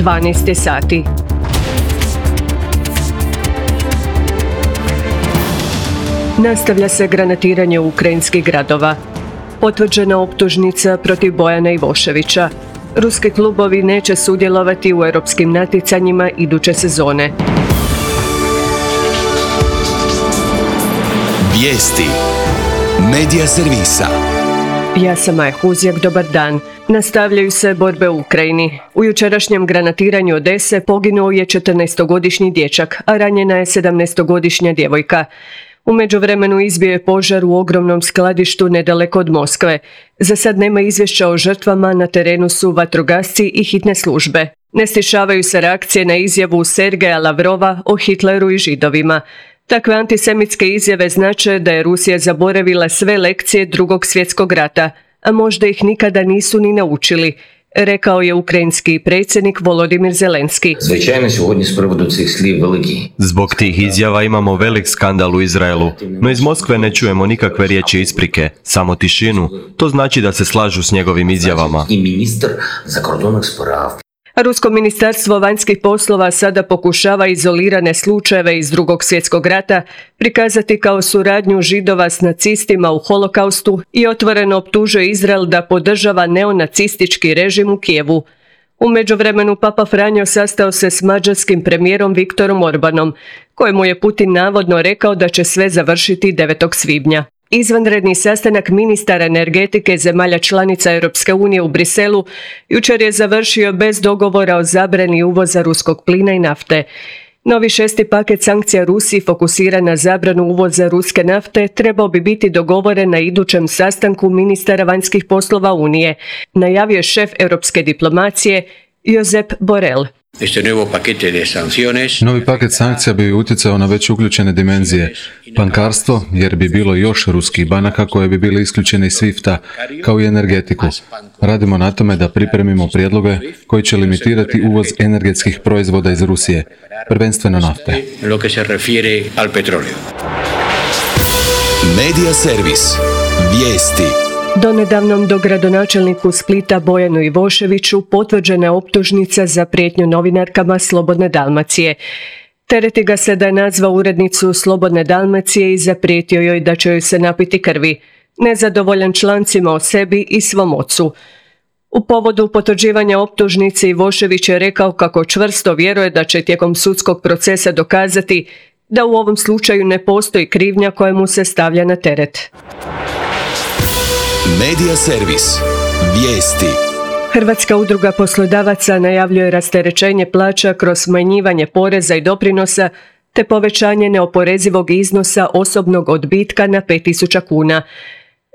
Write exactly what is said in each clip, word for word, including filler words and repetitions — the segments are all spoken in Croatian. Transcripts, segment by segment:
dvanaest sati. Nastavlja se granatiranje ukrajinskih gradova. Potvrđena optužnica protiv Bojana Ivoševića. Ruski klubovi neće sudjelovati u europskim natjecanjima iduće sezone. Vijesti Medija servisa. Ja sam Maja Huzjak, dobar dan. Nastavljaju se borbe u Ukrajini. U jučerašnjem granatiranju Odese poginuo je četrnaestogodišnji dječak, a ranjena je sedamnaestogodišnja djevojka. U međuvremenu izbio je požar u ogromnom skladištu nedaleko od Moskve. Za sad nema izvješća o žrtvama, na terenu su vatrogasci i hitne službe. Ne stišavaju se reakcije na izjavu Sergeja Lavrova o Hitleru i Židovima. Takve antisemitske izjave znače da je Rusija zaboravila sve lekcije Drugog svjetskog rata, a možda ih nikada nisu ni naučili, rekao je ukrajinski predsjednik Volodimir Zelenski. Zbog tih izjava imamo velik skandal u Izraelu, no iz Moskve ne čujemo nikakve riječi isprike, samo tišinu. To znači da se slažu s njegovim izjavama. Rusko ministarstvo vanjskih poslova sada pokušava izolirane slučajeve iz Drugog svjetskog rata prikazati kao suradnju Židova s nacistima u holokaustu i otvoreno optužuje Izrael da podržava neonacistički režim u Kijevu. U međuvremenu Papa Franjo sastao se s mađarskim premijerom Viktorom Orbanom, kojemu je Putin navodno rekao da će sve završiti devetog svibnja. Izvanredni sastanak ministara energetike zemalja članica Europske unije u Briselu jučer je završio bez dogovora o zabrani uvoza ruskog plina i nafte. Novi šesti paket sankcija Rusiji fokusira na zabranu uvoza ruske nafte trebao bi biti dogovoren na idućem sastanku ministara vanjskih poslova Unije, najavio je šef europske diplomacije Josep Borrell. Novi paket sankcija bi utjecao na već uključene dimenzije. Bankarstvo, jer bi bilo još ruskih banaka koje bi bile isključene iz svifta, kao i energetiku. Radimo na tome da pripremimo prijedloge koji će limitirati uvoz energetskih proizvoda iz Rusije, prvenstveno nafte. Medija servis. Vijesti. Donedavnom dogradonačelniku Splita Bojanu Ivoševiću potvrđena je optužnica za prijetnju novinarkama Slobodne Dalmacije. Tereti ga se da je nazvao urednicu Slobodne Dalmacije i zaprijetio joj da će joj se napiti krvi, nezadovoljan člancima o sebi i svom ocu. U povodu potvrđivanja optužnice Ivošević je rekao kako čvrsto vjeruje da će tijekom sudskog procesa dokazati da u ovom slučaju ne postoji krivnja koja mu se stavlja na teret. Medija servis. Vijesti. Hrvatska udruga poslodavaca najavljuje rasterećenje plaća kroz smanjivanje poreza i doprinosa te povećanje neoporezivog iznosa osobnog odbitka na pet tisuća kuna.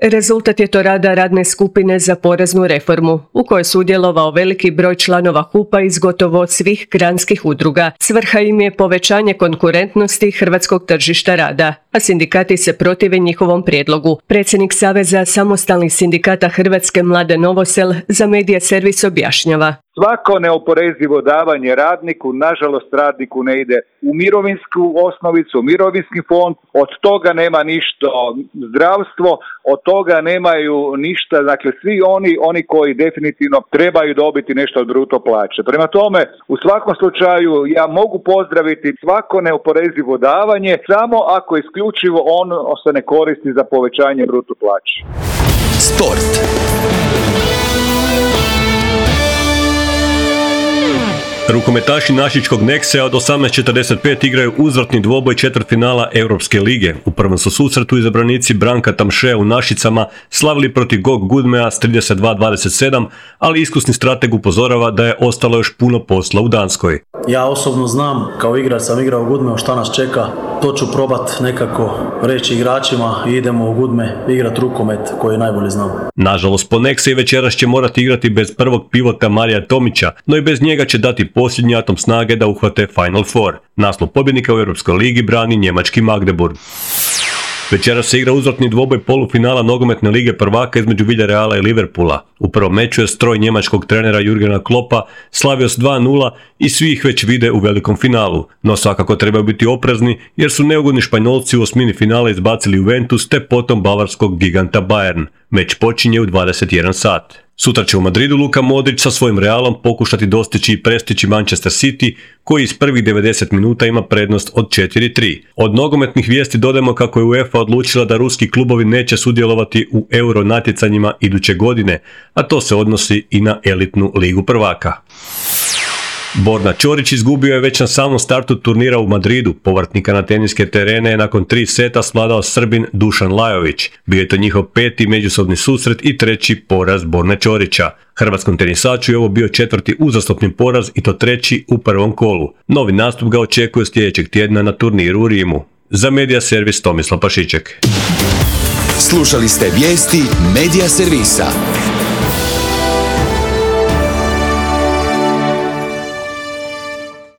Rezultat je to rada radne skupine za poreznu reformu, u kojoj je sudjelovao veliki broj članova hupa iz gotovo svih granskih udruga. Svrha im je povećanje konkurentnosti hrvatskog tržišta rada, a sindikati se protive njihovom prijedlogu. Predsjednik Saveza samostalnih sindikata Hrvatske Mladen Novosel za Medija servis objašnjava. Svako neoporezivo davanje radniku, nažalost radniku ne ide u mirovinsku osnovicu, u mirovinski fond, od toga nema ništa zdravstvo, od toga nemaju ništa, dakle svi oni, oni koji definitivno trebaju dobiti nešto od bruto plaće. Prema tome, u svakom slučaju ja mogu pozdraviti svako neoporezivo davanje, samo ako isključivo on se ne koristi za povećanje bruto plaće. Sport. Rukometaši našičkog Nexe od osamnaest četrdeset pet igraju uzvratni dvoboj četvrtfinala Europske lige. U prvom su susretu izabranici Branka Tamšea u Našicama slavili protiv Gog Gudmea s trideset dva dvadeset sedam, ali iskusni strateg upozorava da je ostalo još puno posla u Danskoj. Ja osobno znam, kao igrač sam igrao u Gudmeu šta nas čeka, to ću probat nekako reći igračima i idemo u Gudme igrat rukomet koji najbolje znam. Nažalost, po Nexe večeras će morati igrati bez prvog pivota Marija Tomića, no i bez njega će dati posljednji atom snage da uhvate Final Four. Naslov pobjednika u Europskoj ligi brani njemački Magdeburg. Večeras se igra uzvratni dvoboj polufinala nogometne lige prvaka između Villarreala i Liverpoola. U prvom meču je stroj njemačkog trenera Jurgena Kloppa slavio s dva nula i svi ih već vide u velikom finalu. No svakako trebaju biti oprezni jer su neugodni Španjolci u osmini finala izbacili Juventus te potom bavarskog giganta Bayern. Meč počinje u dvadeset jedan sat. Sutra će u Madridu Luka Modrić sa svojim Realom pokušati dostići i prestići Manchester City, koji iz prvih devedeset minuta ima prednost od četiri tri. Od nogometnih vijesti dodajemo kako je UEFA odlučila da ruski klubovi neće sudjelovati u euro natjecanjima iduće godine, a to se odnosi i na elitnu ligu prvaka. Borna Ćorić izgubio je već na samom startu turnira u Madridu. Povratnika na teniske terene je nakon tri seta svladao Srbin Dušan Lajović. Bio je to njihov peti međusobni susret i treći poraz Borne Ćorića. Hrvatskom tenisaču je ovo bio četvrti uzastopni poraz i to treći u prvom kolu. Novi nastup ga očekuje sljedećeg tjedna na turniru u Rimu. Za Media Servis Tomislav Pašiček. Slušali ste vijesti Media Servisa.